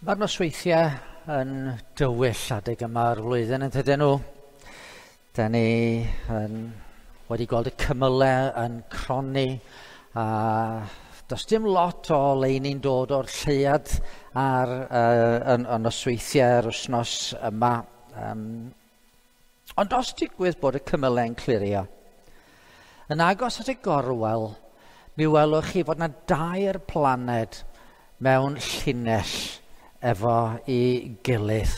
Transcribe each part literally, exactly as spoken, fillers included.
Mae'r nosweithiau yn dywyll adeg yma'r flwyddyn yn dydyn nhw. Da ni yn, wedi gweld y cymylau yn cronni a does dim lot o leini'n dod o'r lleuad ar uh, yn, yn nosweithiau yr wythnos yma. Um, ond os digwydd bod y cymylau'n clirio, yn agos at y gorwel, mi welwch chi fod yna dair planed mewn llinell efo i gilydd.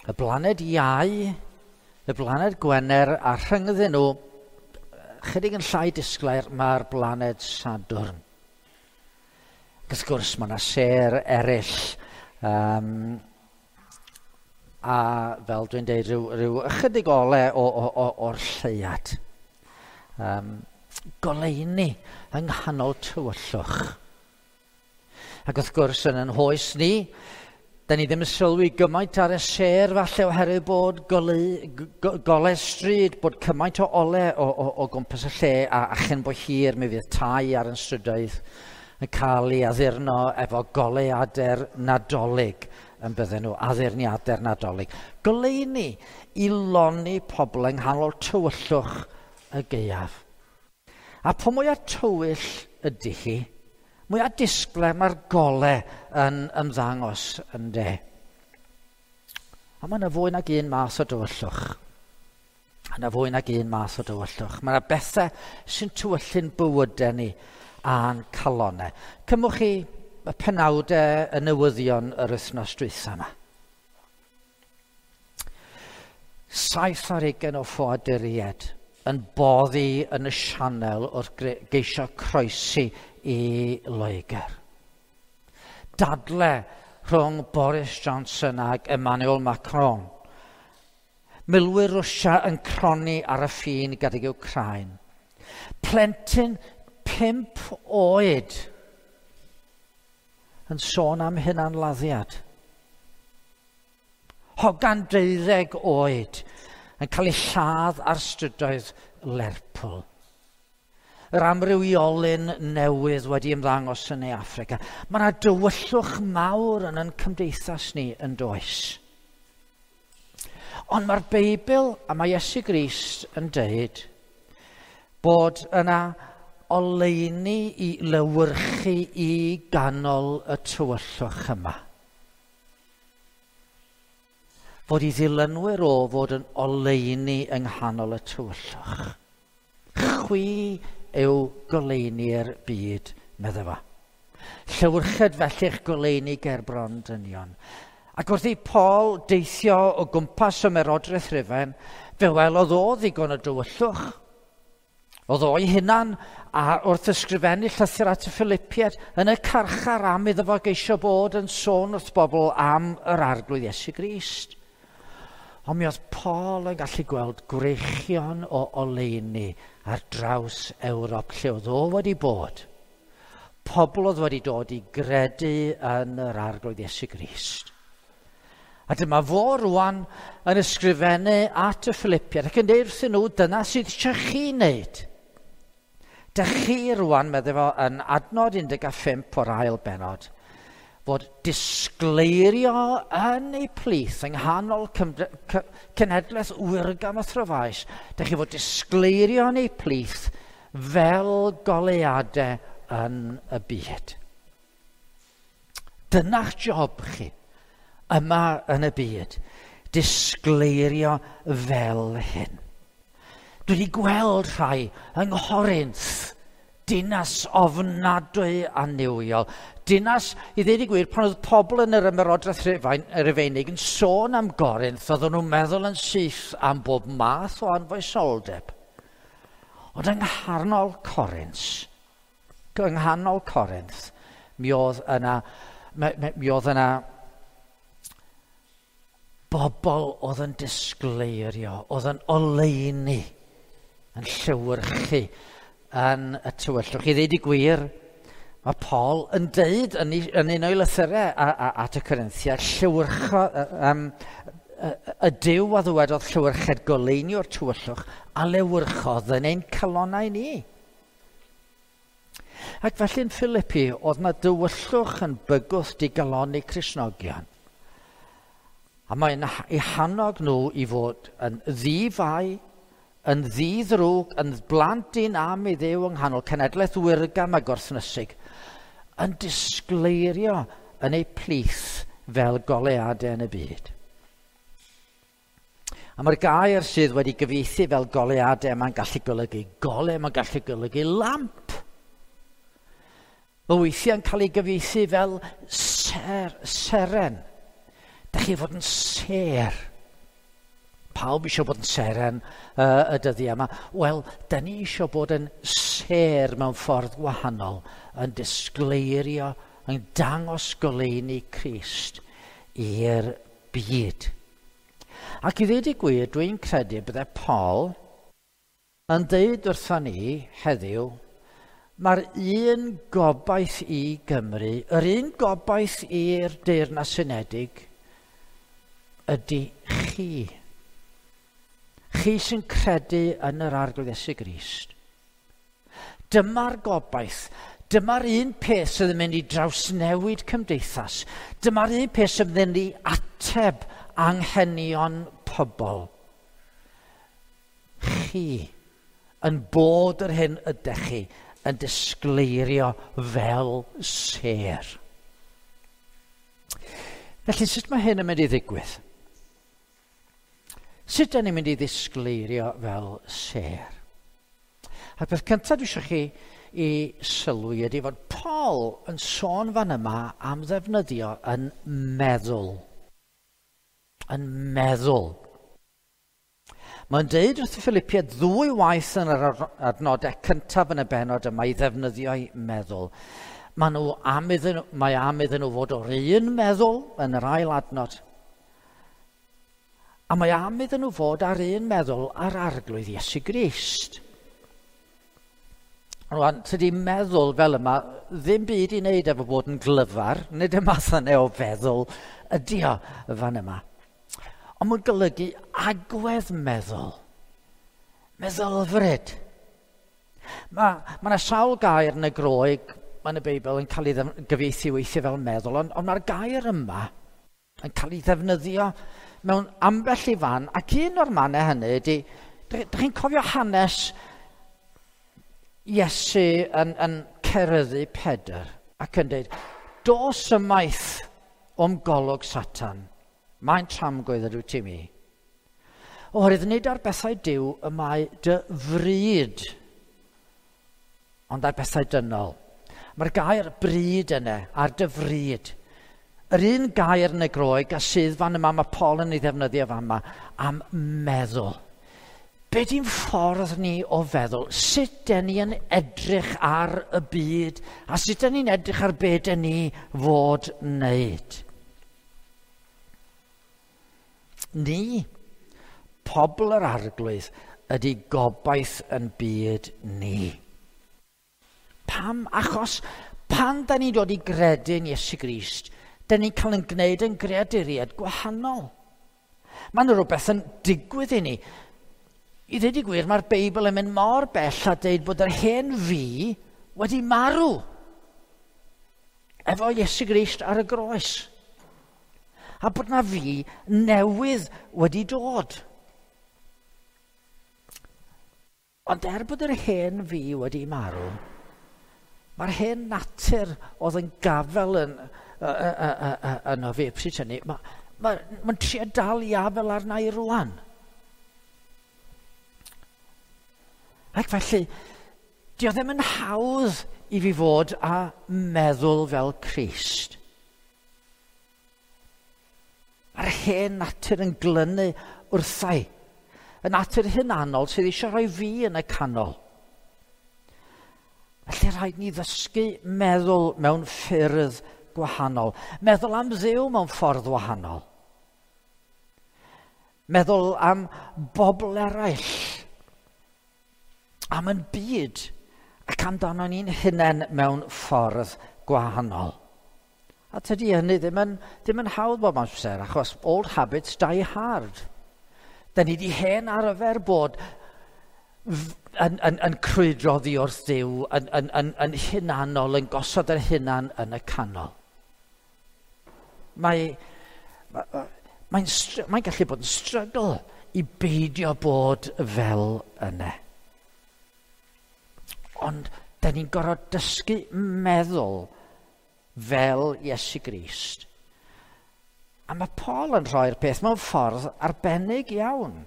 Y blaned Iau, y blaned Gwener, a rhyngddyn nhw, chydig yn llai disglair, mae'r blaned Sadwrn. Ac wrth gwrs, mae yna sêr eraill, um, a fel dwi'n deud, rhyw, rhyw ychydig ole o, o, o, o'r lleuad. Um, goleuni yng nghanol tywyllwch. Ac wrth gwrs, yn yn hoes ni, da ni ddim yn sylwi gymaint ar y sêr falle oherwydd bod goleu, go, golau stryd, bod cymaint o ole o, o, o gwmpas y lle, a, a chyn bo hir mi fydd tai ar yn strydoedd yn cael ei addurno efo goleuadau'r Nadolig yn bydden nhw, addurniadau'r Nadolig. Goleuni i lonni pobl yng nghanol tywyllwch y gaeaf. A po mwyaf tywyll ydy hi, mwyaf disglair mae'r golau yn ymddangos yn de. A mae yna fwy nag un math o dywyllwch. Mae yna fwy nag un math o dywyllwch. Mae yna bethau sy'n tywyllu'n bywydau ni a'n calonau. Cymwch chi y penawdau y newyddion yr wythnos dwytha yma. Saith ar hugain o ffoaduriaid yn boddi yn y sianel wrth geisio croesi i Loegr. Dadle rhwng Boris Johnson ag Emmanuel Macron. Milwyr Rwsia yn cronni ar y ffin gydag Wcráin. Plentyn pump oed yn sôn am hunanladdiad. Hogan deuddeg oed yn cael ei lladd ar strydoedd Lerpwl. Yr amrywiolyn newydd wedi ymddangos yn ei Affrica. Mae yna dywyllwch mawr yn ein cymdeithas ni yn does. Ond mae'r Beibl a mae Iesu Grist yn deud bod yna oleuni i lewyrchu i ganol y tywyllwch yma. Fod i ddilynwyr o fod yn oleuni yng nghanol y tywyllwch. Chwi yw goleuni'r byd, medde fo. Llewyrched felly'ch goleuni ger bron dynion. Ac wrth i Paul deithio o gwmpas ymerodraeth Rufain, fe welodd o ddigon o dywyllwch. Oedd o'i hunan a wrth ysgrifennu llythyr at y Philippiaid yn y carchar am iddo fo geisio bod yn sôn wrth bobl am yr Arglwydd Iesu Grist. Ond mi oedd Paul yn gallu gweld gwreichion o oleuni ar draws Ewrop lle oedd o wedi bod. Pobl oedd wedi dod i gredu yn yr Arglwydd Iesu Grist. A dyma fo rwan yn ysgrifennu at y Philippiaid ac yn deud wrthyn nhw, dyna sydd eisiau chi wneud. Dych chi rwan, medde fo, yn adnod un deg pump o'r ail bennod, fod disgleirio yn eu plith yng nghanol cenhedlaeth wyrgam a throfaus. Dych chi fod disgleirio yn eu plith fel goleuadau yn y byd. Dyna'ch job chi yma yn y byd, disgleirio fel hyn. Dwi wedi gweld rhai yng Nghorinth, dinas ofnadwy a niwiol. Dinas, i ddweud y gwir, pan oedd pobl yn yr ymerodraeth Rufeinig yn sôn am Gorinth, oedden nhw'n meddwl yn syth am bob math o anfoesoldeb. Ond yng nghanol Corinth, yng nghanol Corinth, mi oedd yna, mi, mi oedd yna bobl oedd yn disgleirio, oedd yn oleuni, yn llewyrchu yn y tywyllwch. I ddeud y gwir, mae Paul yn deud yn, yn un o'i lythyrau at y Corinthiaid, llewyrcho, um, y Duw a ddywedodd llewyrched goleuni o'r tywyllwch a lewyrchodd yn ein calonnau ni. Ac felly yn Philippi, oedd na dywyllwch yn bygwth digalonni Cristnogion. A mae'n eu hannog nhw i fod yn ddifai, yn ddi-ddrwg, yn blant un am i Dduw yng nghanol cenedlaeth wirgam a gwrthnysig, yn disgleirio yn eu plith fel goleuadau yn y byd. A mae'r gair sydd wedi gyfieithu fel goleuadau, mae'n gallu golygu golau, mae'n gallu golygu lamp. Mae weithiau'n cael ei gyfieithu fel ser, seren. Dach chi fod yn sêr. Pawb eisiau bod yn seren uh, y dyddiau yma. Wel, da ni eisiau bod yn sêr mewn ffordd wahanol, yn disgleirio, yn dangos goleuni Crist i'r byd. Ac i ddweud y gwir, dwi'n credu bydde Paul yn dweud wrthon ni heddiw, mae'r un gobaith i Gymru, yr un gobaith i'r Deyrnas Unedig, ydy chi. Chi sy'n credu yn yr Arglwydd Iesu Grist. Dyma'r gobaith. Dyma'r un peth sydd yn mynd i drawsnewid cymdeithas. Dyma'r un peth sydd yn mynd i ateb anghenion pobl. Chi yn bod yr hyn ydych chi yn disgleirio fel sêr. Felly, sut mae hyn yn mynd i ddigwydd? Sut ydyn ni'n mynd i ddisgleirio fel sêr? A'r peth cyntaf dwi eisiau chi i sylwi ydy fod Paul yn sôn fan yma am ddefnyddio yn meddwl. Yn meddwl. Mae'n deud wrth y Philippiaid ddwy waith yn yr adnodau cyntaf yn y bennod yma i ddefnyddio'i meddwl. Mae nhw am iddyn, mae am iddyn nhw fod o'r un meddwl yn yr ail adnod. A mae am iddyn nhw fod ar un meddwl ar Arglwydd Iesu Grist. Rwan, tydi meddwl fel yma ddim byd i wneud efo bod yn glyfar, nid y math yna o feddwl ydy o fan yma. Ond mae'n golygu agwedd meddwl, meddylfryd. Mae ma yna sawl gair yn y Groeg, yn y Beibl, yn cael ei gyfieithu weithiau fel meddwl, ond, ond mae'r gair yma yn cael ei ddefnyddio mewn ambell i fan, ac un o'r mannau hynny ydy, dych chi'n cofio hanes Iesu yn, yn ceryddu Pedr ac yn dweud, dos ymaith o'm golwg Satan, mae'n tramgwydd ydw ti mi. Oherwydd nid ar bethau Duw y mae dy fryd, ond ar bethau dynol. Mae'r gair bryd yna, ar dy fryd. Yr un gair yn y Groeg a sydd fan yma, mae Paul yn ei ddefnyddio fan yma, am meddwl. Be di'n ffordd ni o feddwl? Sut den ni yn edrych ar y byd a sut den ni'n edrych ar be den ni fod wneud? Ni, pobl yr Arglwydd, ydy gobaith yn byd ni. Pam? Achos pan da ni'n dod i gredu yn Iesu Grist, da ni'n cael yn gwneud yn greaduriaid gwahanol. Mae yna rhywbeth yn digwydd i ni. I ddweud y gwir, mae'r Beibl yn mynd mor bell a dweud bod yr hen fi wedi marw efo Iesu Grist ar y groes. A bod na fi newydd wedi dod. Ond er bod yr hen fi wedi marw, mae'r hen natur oedd yn gafel yn, yno fi, pryd hynny, mae'n ma, ma trio dal i afel arna i rwan. Ac felly, di o ddim yn hawdd i fi fod a meddwl fel Crist. Mae'r hen natur yn glynu wrthai. Y natur hunanol sydd eisiau rhoi fi yn y canol. Felly rhaid ni ddysgu meddwl mewn ffyrdd gwahanol. Meddwl am Dduw mewn ffordd wahanol. Meddwl am bobl eraill. Am yn byd ac amdano ni'n hunain mewn ffordd gwahanol. A tydi hynny ddim yn, ddim yn hawdd bob amser, achos old habits die hard. Da ni di hen arfer bod yn, yn, yn crwydro oddi wrth Dduw, yn, yn, yn, yn hunanol, yn gosod yr hunan yn y canol. Mae, mae'n, mae'n gallu bod yn struggle i beidio bod fel yna. Ond da ni'n gorfod dysgu meddwl fel Iesu Grist. A mae Paul yn rhoi'r peth mewn ffordd arbennig iawn.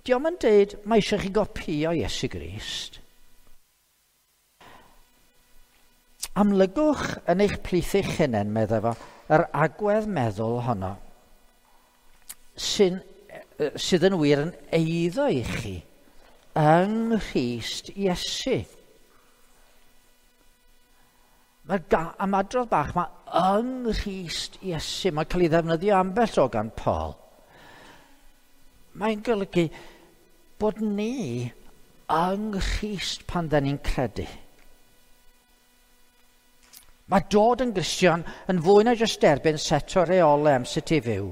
Dio'm yn deud mae eisiau chi gopïo Iesu Grist. Amlygwch yn eich plith eich hunain, meddai fo, yr agwedd meddwl honno sy'n, sydd yn wir yn eiddo i chi yng Nghrist Iesu. Mae'r ymadrodd bach mae yng Nghrist Iesu, mae'n cael ei ddefnyddio ambell o gan Paul. Mae'n golygu bod ni yng Nghrist pan da ni'n credu. Mae dod yn Gristion yn fwy na jyst derbyn set o reolau am sut i fyw.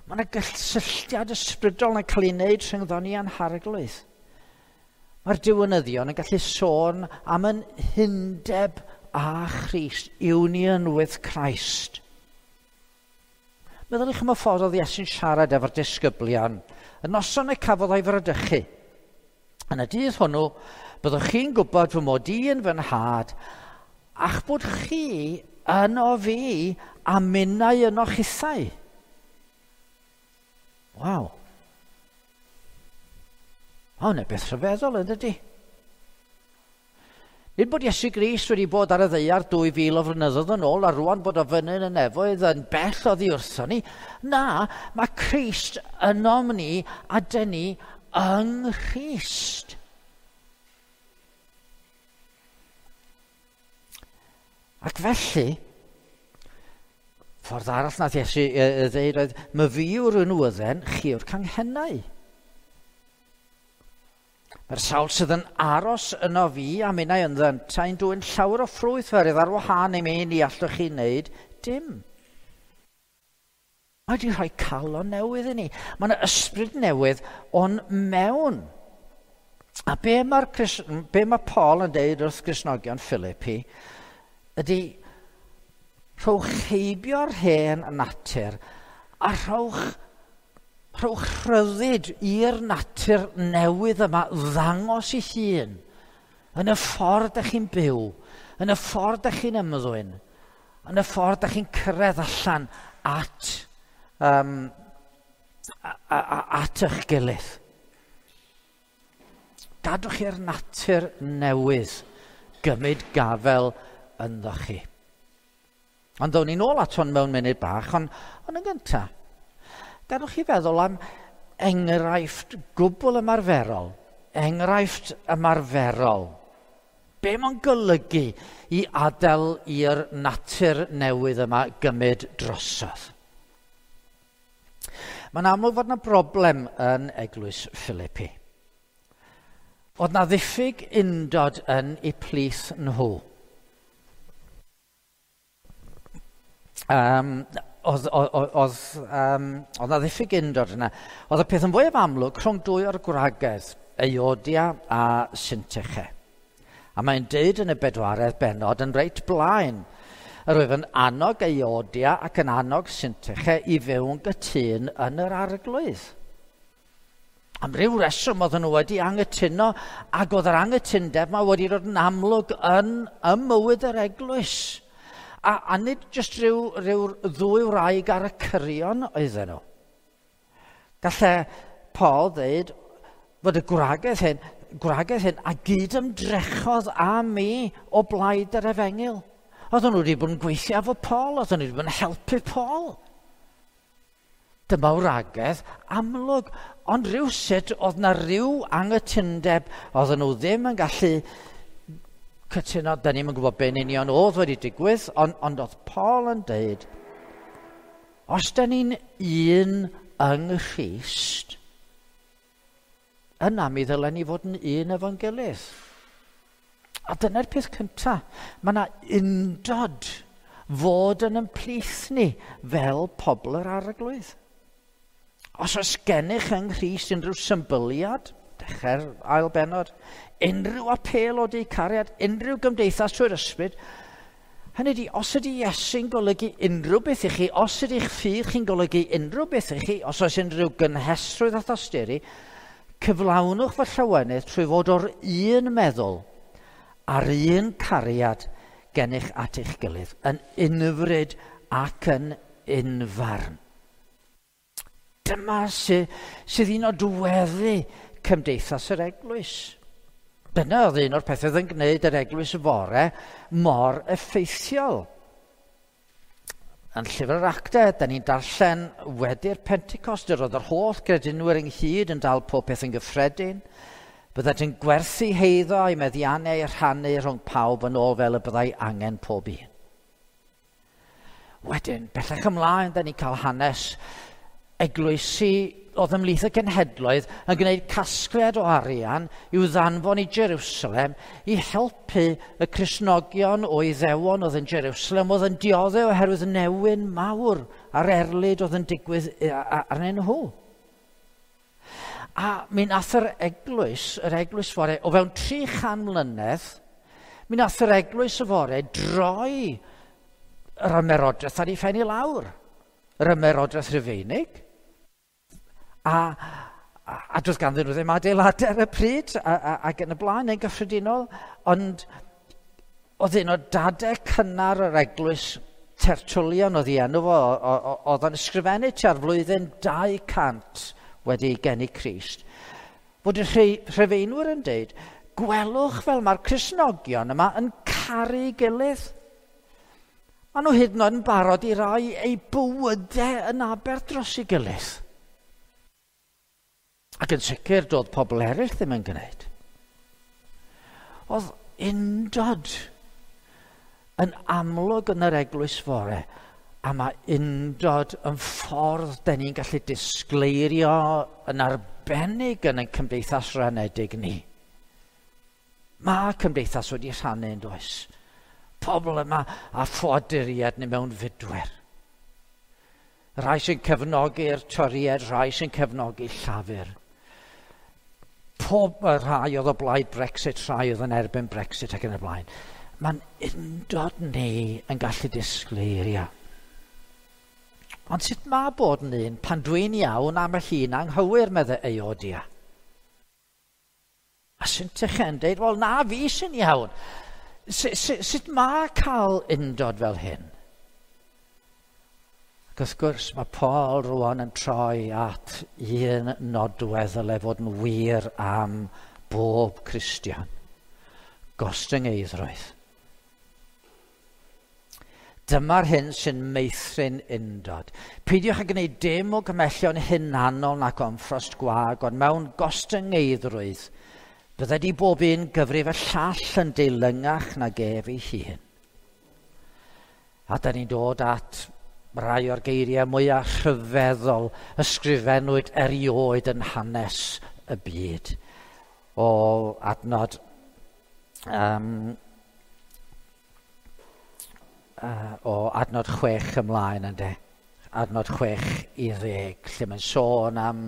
Mae yna gysylltiad ysbrydol yn cael ei wneud rhyngddo ni a'n harglwydd. Mae'r diwinyddion yn gallu sôn am yn hundeb â Christ, union with Christ. Meddyliwch am y ffordd oedd Iesu'n siarad efo'r disgyblion. Y noson y cafodd o'i fradychu. Yn y dydd hwnnw, byddwch chi'n gwybod fy mod i yn fy nhad, a'ch bod chi yno fi a minnau yno chithau. Waw. O, yna beth rhyfeddol yn dydi? Nid bod Iesu Grist wedi bod ar y ddaear dwy fil o flynyddoedd yn ôl a rwan bod o fyny yn y nefoedd yn bell oddi wrthon ni. Na, mae Crist ynom ni a dyn ni yng Nghrist. Ac felly, ffordd arall nath Iesu ddeud oedd, my fi yw'r unwydden, chi yw'r canghennau. Mae'r sawl sydd yn aros yno fi a minnau ynddo yntau'n dwyn llawer o ffrwyth oherwydd ar wahân i mi ni allwch chi wneud dim. Mae wedi rhoi calon newydd i ni. Mae yna ysbryd newydd o'n mewn. A be mae'r be mae Paul yn deud wrth Gristnogion Philippi ydy rhowch heibio'r hen natur a rhowch Rhowch rhyddid i'r natur newydd yma ddangos ei hun yn y ffordd ydych chi'n byw, yn y ffordd ydych chi'n ymddwyn, yn y ffordd ydych chi'n cyrraedd allan at, um, a, a, at eich gilydd. Gadwch i'r natur newydd gymryd gafel ynddo chi. Ond ddown ni'n ôl at hwn mewn munud bach, ond, ond yn gyntaf, gadwch chi feddwl am enghraifft gwbl ymarferol. Enghraifft ymarferol. Be mae'n golygu i adael i'r natur newydd yma gymryd drosodd? Mae'n amlwg fod yna broblem yn eglwys Philippi. Oedd na ddiffyg undod yn eu plith nhw. Um, Oedd, oedd, oedd, um, oedd na ddiffyg undod yna. Oedd y peth yn fwyaf amlwg rhwng dwy o'r gwragedd, Euodia a Syntyche. A mae'n deud yn y bedwaredd bennod yn reit blaen. Yr oedd yn annog Euodia ac yn annog Syntyche i fyw yn gytûn yn yr arglwydd. Am ryw reswm oedden nhw wedi anghytuno, ac oedd yr anghytundeb yma wedi dod yn amlwg yn ym mywyd yr eglwys. A, a nid jyst rhyw, rhyw ddwy wraig ar y cyrion oedden nhw. Galle Paul ddeud fod y gwragedd hyn, gwragedd hyn a gyd ymdrechodd â mi o blaid yr efengyl. Oedden nhw wedi bod yn gweithio efo Paul, oedden nhw wedi bod yn helpu Paul. Dyma wragedd amlwg, ond rhywsut oedd na ryw anghytundeb, oedden nhw ddim yn gallu cytuno, da ni'm yn gwybod be'n union oedd wedi digwydd, ond, ond oedd Paul yn deud, os da ni'n un yng Nghrist, yna mi ddylen ni fod yn un efo'n gilydd. A dyna'r peth cyntaf, mae yna undod fod yn ymplith ni fel pobl yr arglwydd. Os oes gennych yng Nghrist unrhyw symbyliad, Dechrau'r ail bennod. Unrhyw apêl o du cariad, unrhyw gymdeithas trwy'r ysbryd. Hynny ydi, os ydy Iesu'n golygu unrhyw beth i chi, os ydy'ch ffydd chi'n golygu unrhyw beth i chi, os oes unrhyw gynhesrwydd a thosturi, cyflawnwch fy llawenydd trwy fod o'r un meddwl a'r un cariad gennych at eich gilydd, yn unfryd ac yn unfarn. Dyma sy, sydd un o dweddu cymdeithas yr eglwys. Dyna oedd un o'r pethau oedd yn gwneud yr eglwys fore mor effeithiol. Yn llyfr yr Actau, da ni'n darllen wedi'r Pentecost, yr oedd yr holl gredinwyr ynghyd yn dal pob peth yn gyffredin. Byddant yn gwerthu heiddo a'i meddiannau rhannu rhwng pawb yn ôl fel y byddai angen pob un. Wedyn, bellach ymlaen, da ni'n cael hanes eglwysi oedd ymhlith y cenhedloedd yn gwneud casgliad o arian i'w ddanfon i Jerusalem i helpu y Cristnogion o Iddewon oedd yn Jerusalem oedd yn dioddef oherwydd newyn mawr a'r erlid oedd yn digwydd arnyn nhw. A mi nath yr eglwys, yr eglwys fore, o fewn tri chan mlynedd, mi nath yr eglwys y fore droi yr ymerodraeth ar ei phen i lawr. Yr ymerodraeth Rufeinig. A, a, a doedd ganddyn nhw ddim adeiladau ar y pryd, a, a, ac yn y blaen yn gyffredinol, ond oedd un o dadau cynnar yr eglwys Tertullian oedd ei enw fo, oedd o'n ysgrifennu tua'r flwyddyn dau cant wedi geni Crist, fod y Rhufeinwyr yn deud, gwelwch fel mae'r Cristnogion yma yn caru gilydd. Maen nhw hyd yn oed yn barod i roi eu bywydau yn aberth dros ei gilydd. Ac yn sicr, doedd pobl eraill ddim yn gwneud. Oedd undod yn amlwg yn yr eglwys fore, a mae undod yn ffordd den ni'n gallu disgleirio yn arbennig yn ein cymdeithas ranedig ni. Mae cymdeithas wedi rhannu yn does. Pobl yma a ffoaduriaid neu mewn fudwyr. Rhai sy'n cefnogi'r Torïaid, rhai sy'n cefnogi Llafur. Pob rhai oedd o blaid Brexit, rhai oedd yn erbyn Brexit ac yn y blaen. Mae'n undod ni yn gallu disgleirio. Ond sut mae bod yn un pan dwi'n iawn am y llun anghywir, medde Euodia? A Syntyche yn deud, wel na, fi sy'n iawn. Sut, sut, sut mae cael undod fel hyn? Ac wrth gwrs mae Paul rwan yn troi at un nodwedd ddyle fod yn wir am bob Cristion. Gostyngeiddrwydd. Dyma'r hyn sy'n meithrin undod. Peidiwch â gwneud dim o gymellion hunanol nac ymffrost gwag, ond mewn gostyngeiddrwydd, bydded i bob un gyfrif y llall yn deilyngach nag ef ei hun. A da ni'n dod at rai o'r geiriau mwyaf rhyfeddol ysgrifennwyd erioed yn hanes y byd. O adnod um, uh, o adnod chwech ymlaen ynde. Adnod chwech i ddeg, lle mae'n sôn am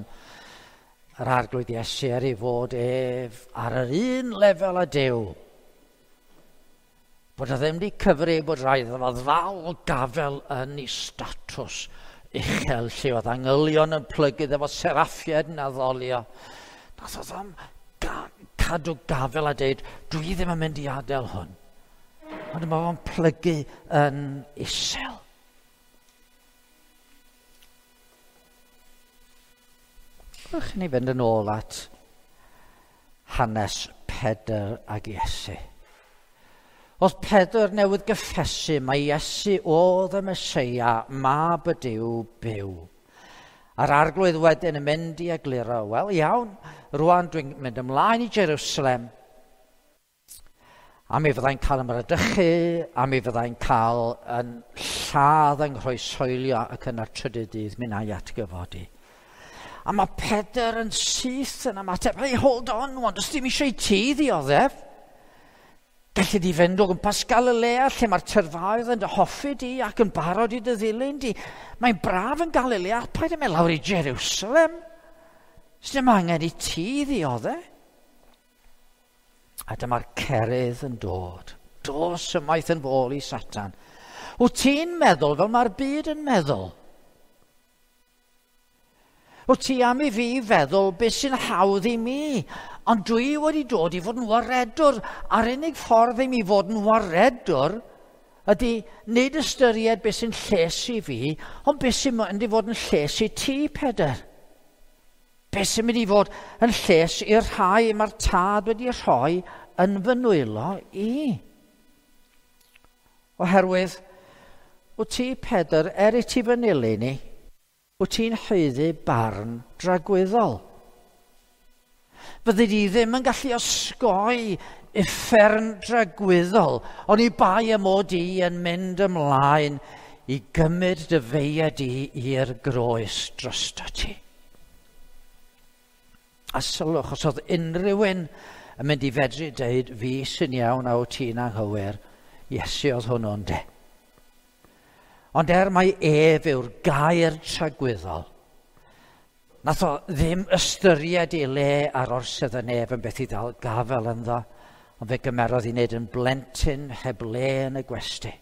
yr Arglwydd Iesu er ei fod ef ar yr un lefel â Duw. Bod o ddim wedi cyfri bod rhaid iddo fo ddal gafel yn ei statws uchel lle oedd angylion yn plygu iddo fo, seraffiaid yn addolio. Nath o ddim ga- cadw gafel a deud, dwi ddim yn mynd i adael hwn. Ond mae fo'n plygu yn isel. Wrth i ni fynd yn ôl at hanes Pedr ag Iesu. Oedd Pedr newydd gyffesu mai Iesu oedd y Meseia, mab y Duw byw. A'r Arglwydd wedyn yn mynd i egluro, wel iawn, rwan dwi'n mynd ymlaen i Jerusalem, a mi fyddai'n cael ymradychu, a mi fyddai'n cael yn lladd yng nghroeshoelio ac yna'r trydydd dydd mi wna i atgyfodi. A mae Pedr yn syth yn ymateb, hey, hold on, wan, does dim eisiau i ti ddioddef. Gallu di fynd o gwmpas Galilea lle mae'r tyrfaoedd yn dy hoffi di ac yn barod i dy ddilyn di. Mae'n braf yn Galilea, paid â mynd lawr i Jerusalem. Sdim angen i ti ddiodde. A dyma'r cerydd yn dod. Dos ymaith yn fôl i Satan. Wyt ti'n meddwl fel mae'r byd yn meddwl? Wyt ti am i fi feddwl beth sy'n hawdd i mi? Ond dwi wedi dod i fod yn waredwr. A'r unig ffordd i mi fod yn waredwr ydy nid ystyried beth sy'n lles i fi, ond beth sy'n mynd i fod yn lles i ti, Pedr. Beth sy'n mynd i fod yn lles i'r rhai mae'r tad wedi rhoi yn fy nwylo i. Oherwydd, wyt ti, Pedr, er i ti fy nilyn i, wyt ti'n haeddu barn dragwyddol. Fyddi di ddim yn gallu osgoi uffern dragwyddol, ond i bai y mod i yn mynd ymlaen i gymryd dy feia di i'r groes drosto ti. A sylwch, os oedd unrhyw un yn mynd i fedru deud fi sy'n iawn a wyt ti'n anghywir, Iesu oedd hwnnw'n de. Ond er mai ef yw'r gair tragwyddol, nath o ddim ystyried ei le ar orsedd y nef yn beth i ddal gafel ynddo, ond fe gymerodd i wneud yn blentyn heb le yn y gwesty.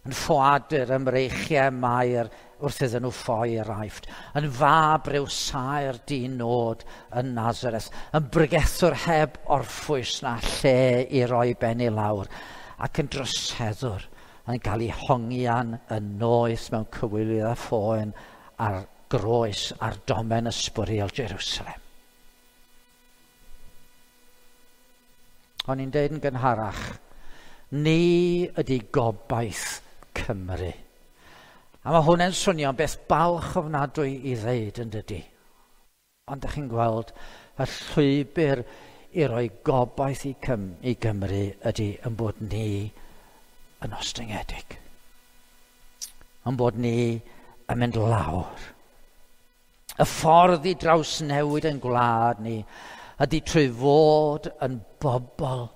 Yn ffoadur ym mreichiau Mair wrth iddyn nhw ffoi i'r Aifft, yn fab ryw saer dyn nod yn Nazareth, yn bregethwr heb orffwys na lle i roi ben i lawr, ac yn droseddwr yn cael ei hongian yn noeth mewn cywilydd a phoen ar groes ar domen ysbwriel Jerusalem. O'n i'n deud yn gynharach, ni ydy gobaith Cymru. A mae hwnna'n swnio'n beth balch ofnadwy i ddeud yn dydy. Ond ydych chi'n gweld y llwybr i roi gobaith i, Cym i Gymru ydy yn bod ni yn ostyngedig. Yn bod ni yn mynd lawr. Y ffordd i drawsnewid yn gwlad ni ydy trwy fod yn bobl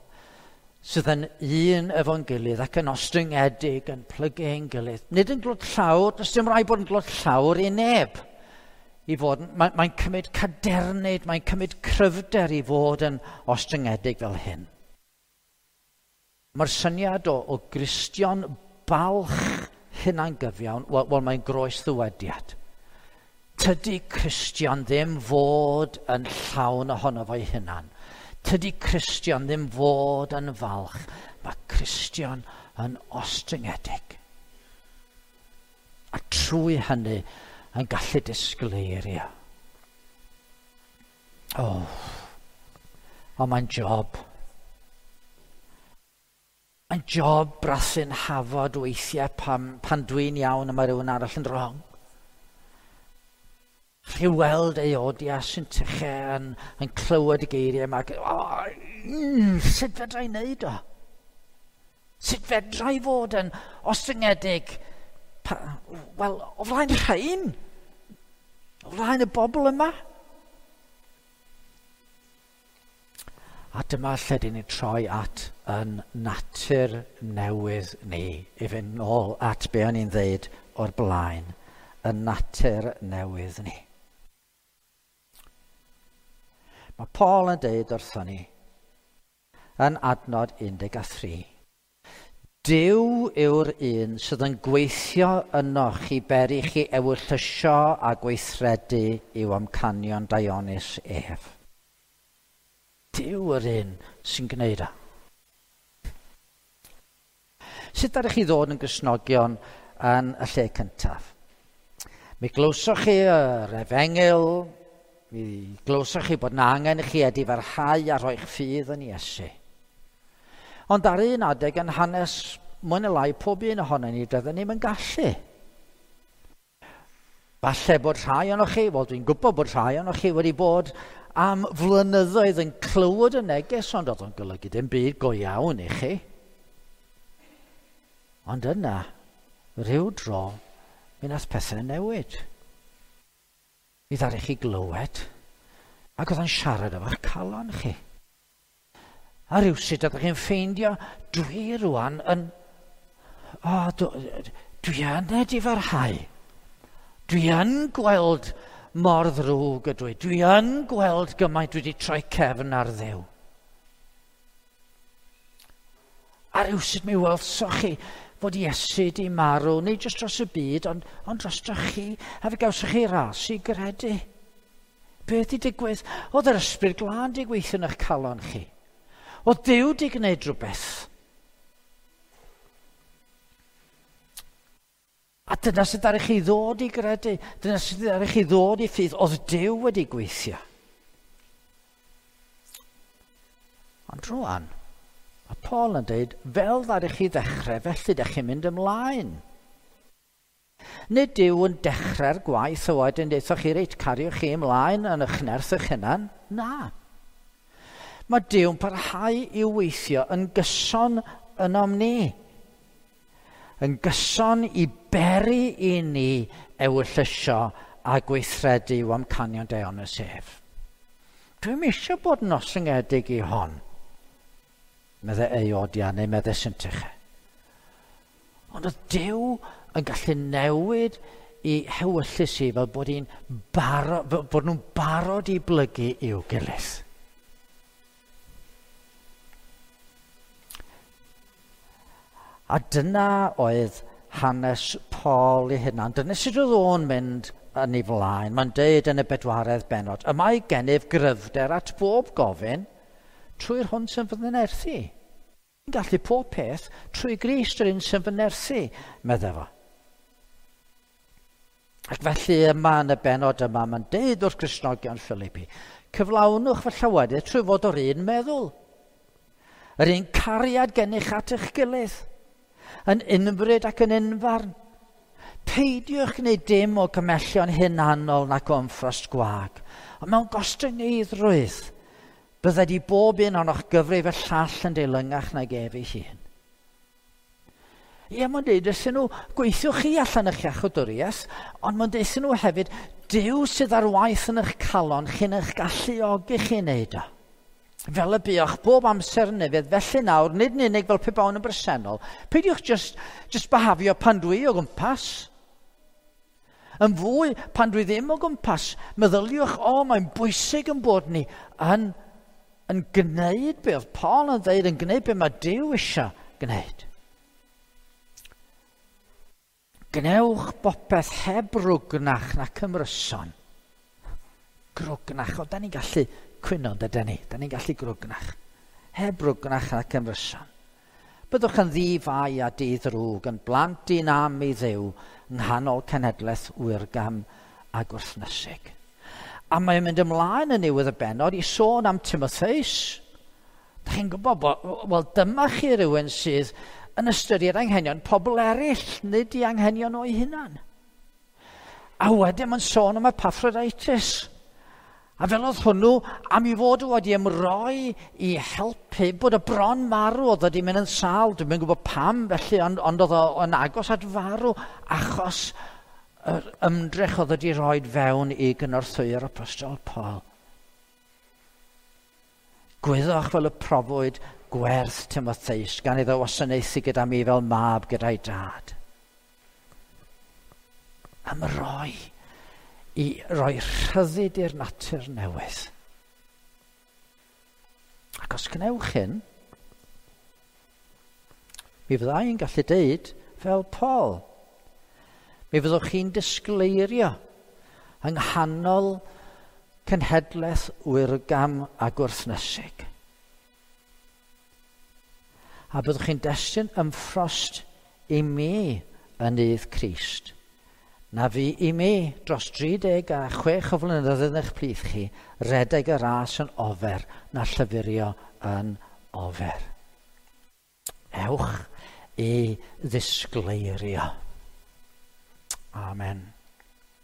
sydd yn un efo'n gilydd ac yn ostyngedig, yn plygu ein gilydd. Nid yn glod llawr, does dim rhaid bod yn glod llawr i neb. I fod, mae'n mae cymryd cadernid, mae'n cymryd cryfder i fod yn ostyngedig fel hyn. Mae'r syniad o, o Gristion balch hunangyfiawn, wel, wel mae'n groes ddywediad. Tydi Cristion ddim fod yn llawn ohono fo'i hunan. Tydi Cristion ddim fod yn falch. Mae Cristion yn ostyngedig. A trwy hynny yn gallu disgleirio. O, oh, oh, mae'n job. Mae'n job brathu'n hafod weithiau pan, pan dwi'n iawn a mae rhywun arall yn wrong. Chi weld Euodia sy'n tyche yn, yn clywed y geiriau yma. Oh, mm, sut fedra i wneud o? Sut fedra i fod yn ostyngedig? Wel, o flaen rhain? O flaen y bobl yma? A dyma lle dyn ni troi at yn natur newydd ni, i fynd nôl at be o'n i'n ddeud o'r blaen, y natur newydd ni. Mae Paul yn deud wrthon ni yn adnod un deg tri. Duw yw'r un sydd yn gweithio ynoch i beri chi ewyllysio a gweithredu i'w amcanion daionus ef. Duw yr un sy'n gwneud o. Sut ydych chi ddod yn Gristnogion yn y lle cyntaf? Mi glywsoch chi yr efengyl, mi glywsoch chi bod na angen i chi edifarhau a rhoi'ch ffydd yn Iesu. Ond ar un adeg yn hanes mwy neu lai pob un ohonon ni, doedden ni'm yn gallu. Falle bod rhai ohonoch chi, wel dwi'n gwybod bod rhai ohonoch chi wedi bod am flynyddoedd yn clywed y neges, ond oedd o'n golygu dim byd go iawn i chi. Ond yna, rhyw dro, mi nath pethau newid. Mi ddaru chi glywed, ac oedd o'n siarad efo'ch calon chi. A rhywsut ydych chi'n ffeindio, dwi rwan yn... O, dwi, dwi yn edifarhau. Dwi yn gweld mor ddrwg ydw i. Dwi yn gweld gymaint dwi wedi troi cefn ar Dduw. A rywsut mi welsoch chi fod Iesu di marw, nid jyst dros y byd, ond, ond dros chi, a fe gawsoch chi ras i gredu. Beth di digwydd? Oedd yr Ysbryd Glân di gweithio yn eich calon chi. Oedd Duw di gwneud rhywbeth. A dyna sydd ar chi ddod i gredu, dyna sydd ar chi ddod i ffydd, oedd Duw wedi gweithio. Ond rwan, mae Paul yn dweud, fel ddaru chi ddechrau, felly dych chi'n mynd ymlaen. Nid Duw yn dechrau'r gwaith o wedyn deuthoch chi, reit, cariwch chi ymlaen yn eich nerth eich hunan. Na. Mae Duw'n parhau i weithio yn gyson ynom ni. Yn gyson i beri i ni ewyllysio a gweithredu i'w amcanion daionus ef. Dwi'm eisiau bod yn ostyngedig i hon, medde Eodia neu medde Syntyche. Ond oedd Duw yn gallu newid i hewyllys i fel bod, hi'n baro, bod nhw'n barod i blygu i'w gilydd. A dyna oedd hanes Paul ei hunan. Dyna sut oedd o'n mynd yn ei flaen. Mae'n deud yn y bedwaredd bennod, y mae gennyf gryfder at bob gofyn trwy'r hwn sy'n fy nerthu. Yn gallu pob peth trwy Grist yr un sy'n fy nerthu, medde fo. Ac felly yma yn y bennod yma, mae'n deud wrth Gristnogion Philippi, cyflawnwch fy llawenydd trwy fod o'r un meddwl. Yr un cariad gennych at eich gilydd, yn unfryd ac yn unfarn. Peidiwch gwneud dim o gymellion hunanol nac o ymffrost gwag, ond mewn gostyngeiddrwydd, bydded i bob un ohonoch gyfrif y llall yn deilwngach nag ef ei hun. Ie, mae'n deud wrthyn nhw, gweithiwch chi allan eich iachawdwriaeth, ond mae'n deud wrthyn nhw hefyd, Duw sydd ar waith yn eich calon, chi'n eich galluogi chi wneud o. Fel y buoch bob amser yn nefydd, felly nawr, nid yn unig fel pe bawn yn bresennol, peidiwch just, just behafio pan dwi o gwmpas. Yn fwy, pan dwi ddim o gwmpas, meddyliwch, o, mae'n bwysig yn bod ni yn, yn gwneud be oedd Paul yn dweud, yn gwneud be mae Duw eisiau gwneud. Gwnewch bopeth heb rwgnach nac ymryson. Grwgnach, o, da ni'n gallu cwyno, dydyn ni? Da ni'n gallu grwgnach. Heb rwgnach nac ymryson. Byddwch yn ddi-fai a di-ddrwg, yn blant dyn am i Dduw, yng nghanol cenhedlaeth wyrgam a gwrthnysig. A mae'n mynd ymlaen yn niwedd y bennod i sôn am Timotheus. Da chi'n gwybod, wel dyma chi rhywun sydd yn ystyried anghenion pobl eraill, nid i anghenion o'i hunan. A wedyn mae'n sôn am Epaphroditus. A fel oedd hwnnw, am i fod wedi ymroi i helpu, bod y bron marw, oedd wedi mynd yn sâl, dwi'm yn gwybod pam felly, ond, ond oedd o'n agos at farw, achos yr ymdrech oedd wedi rhoi fewn i gynorthwyo'r Apostol Paul. Gwyddoch fel y profwyd gwerth Timotheus, gan iddo wasanaethu gyda mi fel mab gyda'i dad. Ymroi i roi rhyddid i'r natur newydd. Ac os gwnewch hyn, mi fydda i'n gallu deud fel Paul. Mi fyddwch chi'n disgleirio yng nghanol cenhedlaeth wyrgam a gwrthnysig. A byddwch chi'n destun ymffrost i mi yn nydd Crist. Na fi i mi dros dri deg a chwech o flynyddoedd yn eich plith chi, redeg y ras yn ofer na llyfurio yn ofer. Ewch i ddisgleirio. Amen.